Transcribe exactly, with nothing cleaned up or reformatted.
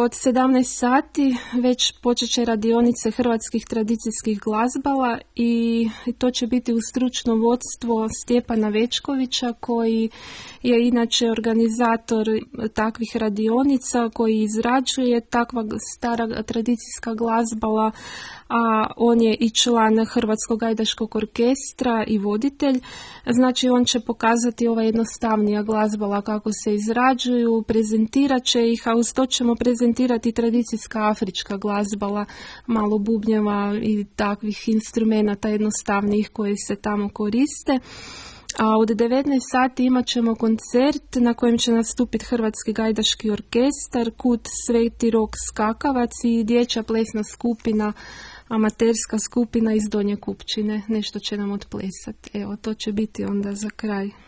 od sedamnaest sati već počet će radionice hrvatskih tradicijskih glazbala i to će biti u stručno vodstvo Stjepana Večkovića, koji je inače organizator takvih radionica, koji izrađuje takva stara tradicijska glazbala, a on je i član Hrvatskog gajdaškog orkestra i voditelj. Znači on će pokazati ova jednostavnija glazbala kako se izrađuju, prezentirat će ih, a uz to ćemo prezentirati tradicijska afrička glazbala, malo bubnjeva i takvih instrumenata jednostavnijih koji se tamo koriste. A od devetnaest sati imat ćemo koncert na kojem će nastupiti Hrvatski gajdaški orkestar, Kut Sveti Rok Skakavac i dječja plesna skupina, amaterska skupina iz Donje Kupčine. Nešto će nam odplesati. Evo, to će biti onda za kraj.